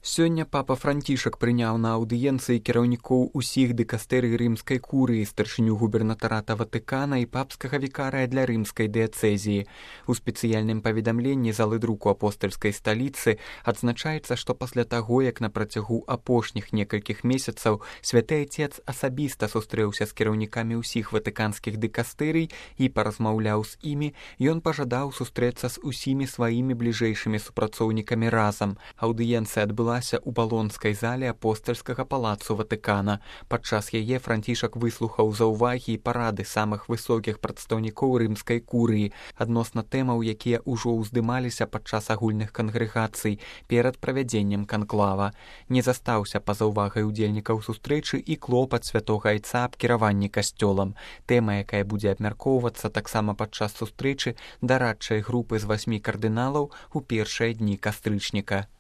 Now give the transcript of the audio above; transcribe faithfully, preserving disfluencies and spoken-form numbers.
Сёння папа Францішак прыняў на аўдыенцыі кіраўнікоў усіх дыкастэрый рымскай курыі, старшыню губернатарата Ватыкана і папскага вікарыя для рымскай дыяцэзіі. У спецыяльным паведамленні залы друку апостальскай сталіцы адзначаецца, што пасля таго, як на працягу апошніх некалькіх месяцаў святы Айцец асабіста сустрэўся з кіраўнікамі ўсіх ватыканскіх дыкастэрый і паразмаўляў з імі, ён пажадаў сустрэцца з усімі сваімі бліжэйшымі супрацоўнікамі разам. Аўдыенцыя адбыла у балонскай зале апостальскага палацу Ватыкана. Падчас яе Францішак выслухаў заўвагі і парады самых высокіх прадстаўнікоў рымскай курыі адносна тэмаў, якія ўжо ўздымаліся падчас агульных кангрэгацый перад правядзеннем канклава. Не застаўся па-за ўвагай удзельнікаў сустрэчы і клопат святога Айца аб кіраванні касцёлам. Тэма, якая будзе абмяркоўвацца таксама падчас сустрэчы дарадчай групы з васьмі кардыналаў у першыя дні кастрычніка.